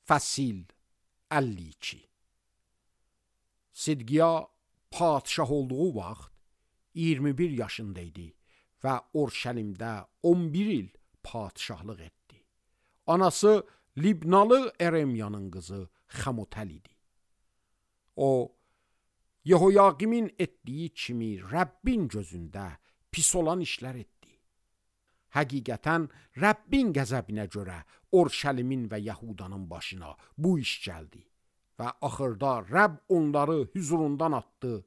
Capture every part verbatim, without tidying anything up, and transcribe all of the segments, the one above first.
Fəsil əlli iki. Sidqiya padşah olduğu vaxt iyirmi bir yaşında idi və Urşəlimdə on bir il padşahlıq etdi. Anası Libnalı Eremyanın qızı Xəmutəl idi. O, Yehoyaqimin etdiyi kimi Rəbbin gözündə pis olan işlər etdi. Həqiqətən Rəbbin qəzəbinə görə Urşəlimin və Yahudanın başına bu iş gəldi və axırda Rəbb onları hüzurundan atdı.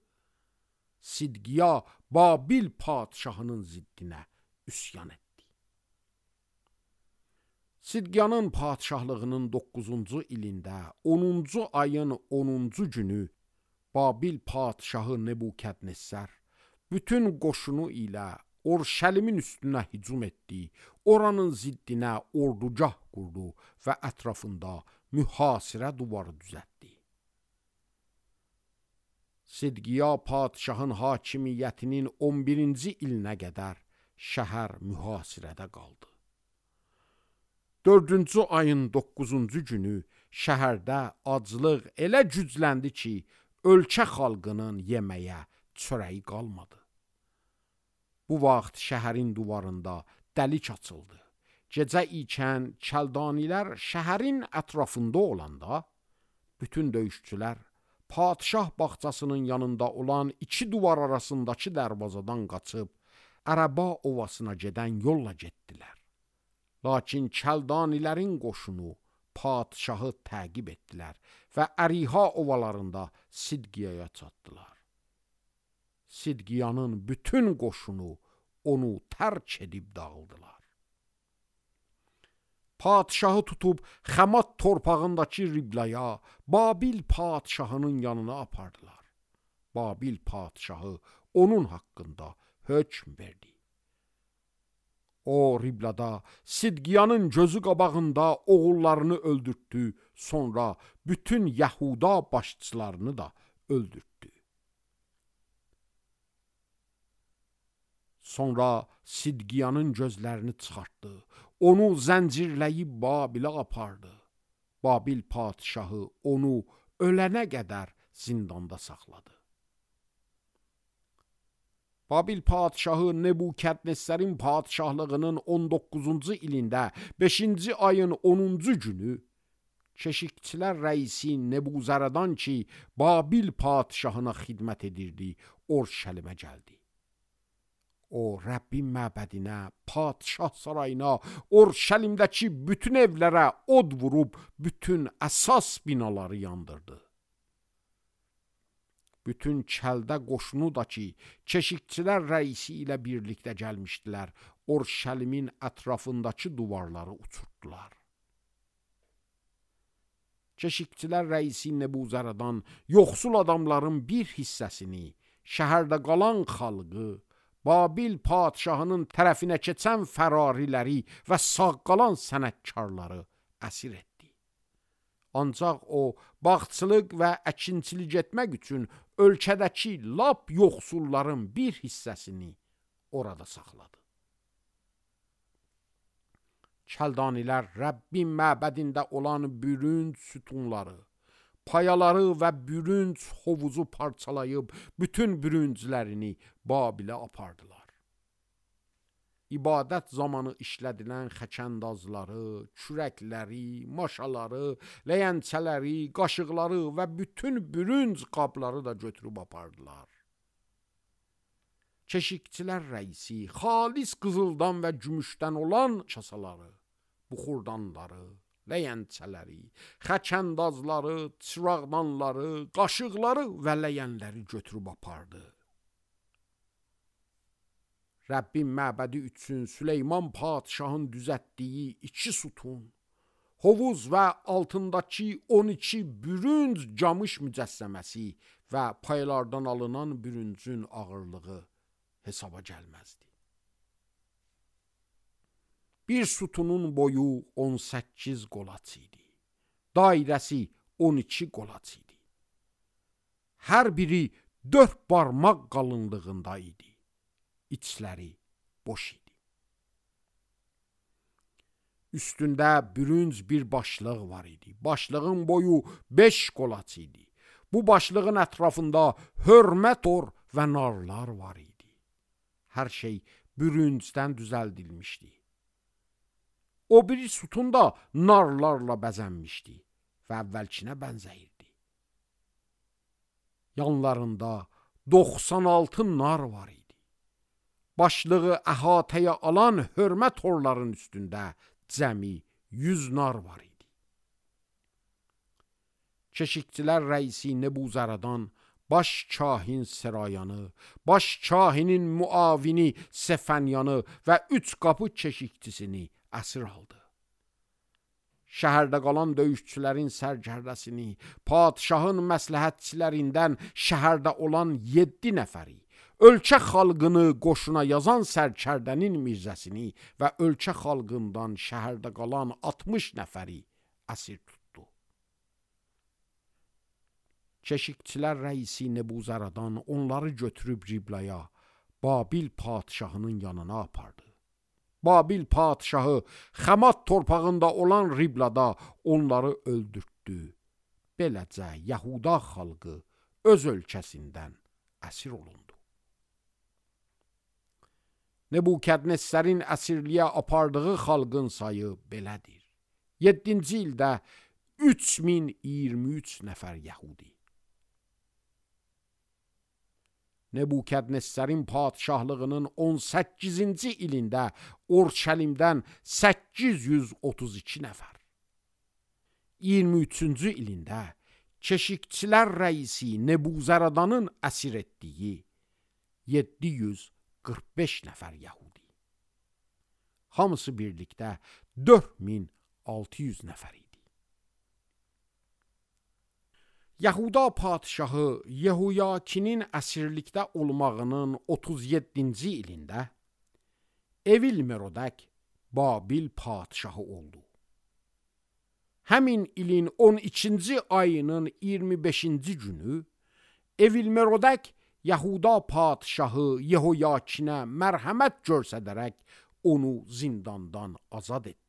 Sidqiya Babil padşahının ziddinə üsyan etdi. Sidqiyanın padşahlığının doqquzuncu ilində onuncu ayın onuncu günü Babil padşahı Nebukadnezar bütün qoşunu ilə Urşəlimin üstünə hücum etdi, oranın ziddinə ordugah qurdu və ətrafında mühasirə duvarı düzəltdi. Sidqiya padşahın hakimiyyətinin on birinci ilinə qədər şəhər mühasirədə qaldı. Dördüncü ayın doqquzuncu günü şəhərdə aclıq elə gücləndi ki, ölkə xalqının yeməyə çörəyi qalmadı. Bu vaxt şəhərin divarında dəlik açıldı. Gecə ikən Kəldanilər şəhərin ətrafında olanda, bütün döyüşçülər padşah bağçasının yanında olan iki divar arasındakı dərvazadan qaçıb, Ərəba ovasına gedən yolla getdilər. Lakin Kəldanilərin qoşunu padşahı təqib etdilər və Əriha ovalarında Sidqiyaya çatdılar. Sidqiyanın bütün qoşunu onu tərk edib dağıldılar. Padşahı tutub Xəmat torpağındakı Riblaya, Babil padşahının yanına apardılar. Babil padşahı onun haqqında hökm verdi. O Riblada Sidqiyanın gözü qabağında oğullarını öldürtdü, sonra bütün Yahuda başçılarını da öldürtdü. Sonra Sidqiyanın gözlərini çıxartdı, onu zəncirləyib Babilə apardı. Babil padşahı onu ölənə qədər zindanda saxladı. Babil padşahı Nebukadnezarın padşahlığının on doqquzuncu ilində beşinci ayın onuncu günü keşikçilər rəisi Nebuzaradan ki, Babil padşahına xidmət edirdi, Urşəlimə gəldi. O, Rəbbin məbədinə, padşah sarayına, Urşəlimdəki bütün evlərə od vurub, bütün əsas binaları yandırdı. Bütün Kəldə qoşunu da ki, keşikçilər rəisi ilə birlikdə gəlmişdilər, Urşəlimin ətrafındakı divarları uçurtdular. Keşikçilər rəisi Nebuzaradan yoxsul adamların bir hissəsini, şəhərdə qalan xalqı, Babil padşahının tərəfinə keçən fərariləri və sağ qalan sənətkarları əsir etdi. Ancaq o, bağçılıq və əkinçilik etmək üçün ölkədəki lap yoxsulların bir hissəsini orada saxladı. Kəldanilər Rəbbin məbədində olan bürünc sütunları, payaları və bürünc hovuzu parçalayıb bütün bürünclərini Babilə apardılar. İbadət zamanı işlədilən xəkəndazları, kürəkləri, maşaları, ləyənçələri, qaşıqları və bütün bürünc qabları da götürüb apardılar. Keşikçilər rəisi xalis qızıldan və gümüşdən olan kasaları, buxurdanları, ləyənçələri, xəkəndazları, çıraqdanları, qaşıqları və ləyənləri götürüb apardı. Rəbbin məbədi üçün Süleyman padşahın düzəltdiyi iki sütun, hovuz və altındakı on iki bürünc camış mücəssəməsi və paylardan alınan bürüncün ağırlığı hesaba gəlməzdi. Bir sütunun boyu on səkkiz qolaç idi. Dairəsi on iki qolaç idi. Hər biri dörd barmaq qalınlığında idi. İçləri boş idi. Üstündə bürünc bir başlıq var idi. Başlığın boyu beş qolaç idi. Bu başlığın ətrafında hörmət or və narlar var idi. Hər şey bürüncdən düzəldilmişdi. O biri sütun da narlarla bəzənmişdi və əvvəlkinə bənzəyirdi. Yanlarında doxsan altı nar var idi. Başlığı əhatəyə alan hörmət orların üstündə cəmi yüz nar var idi. Keşikçilər rəisi Nebuzaradan baş kahin Serayanı, baş kahinin muavini Sefənyanı və üç qapı keşikçisini əsir aldı. Şəhərdə qalan döyüşçülərin sərkərdəsini, padişahın məsləhətçilərindən şəhərdə olan yeddi nəfəri, ölkə xalqını qoşuna yazan sərkərdənin mirzəsini və ölkə xalqından şəhərdə qalan altmış nəfəri əsir tutdu. Keşikçilər rəisi Nebuzaradan onları götürüb Riblaya, Babil padişahının yanına apardı. Babil padişahı Xəmat torpağında olan Riblada onları öldürtdü. Beləcə Yahuda xalqı öz ölkəsindən əsir olundu. Nebukadnezərin əsirliyə apardığı xalqın sayı belədir. yeddinci ildə üç min iyirmi üç nəfər Yahudi. Nebukadnezərin padişahlığının on səkkizinci ilində Orşəlimdən səkkiz yüz otuz iki nəfər. iyirmi üçüncü ilində keşikçilər rəisi Nebuzaradanın əsir etdiyi yeddi yüz qırx beş nəfər Yahudi. Hamısı birlikdə dörd min altı yüz nəfər idi. Yahuda padişahı Yehoyakinin əsirlikdə olmağının otuz yeddinci ilində Evil-Merodək Babil padişahı oldu. Həmin ilin on ikinci ayının iyirmi beşinci günü Evil-Merodək Yahuda padişahı Yehoyakinə mərhəmət göstərərək onu zindandan azad etdi.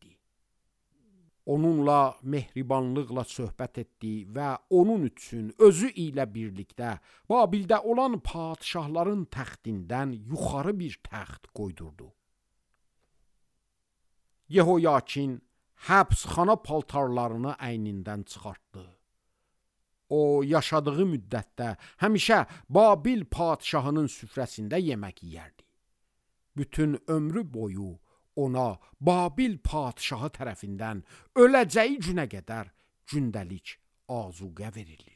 Onunla mehribanlıqla söhbət etdi və onun üçün özü ilə birlikdə Babildə olan padişahların təxtindən yuxarı bir təxt qoydurdu. Yehoyakin həbsxana paltarlarını əynindən çıxartdı. O, yaşadığı müddətdə həmişə Babil padişahının süfrəsində yemək yeyərdi. Bütün ömrü boyu ona Babil padişahı tərəfindən öləcəyi günə qədər gündəlik azuqə verilir.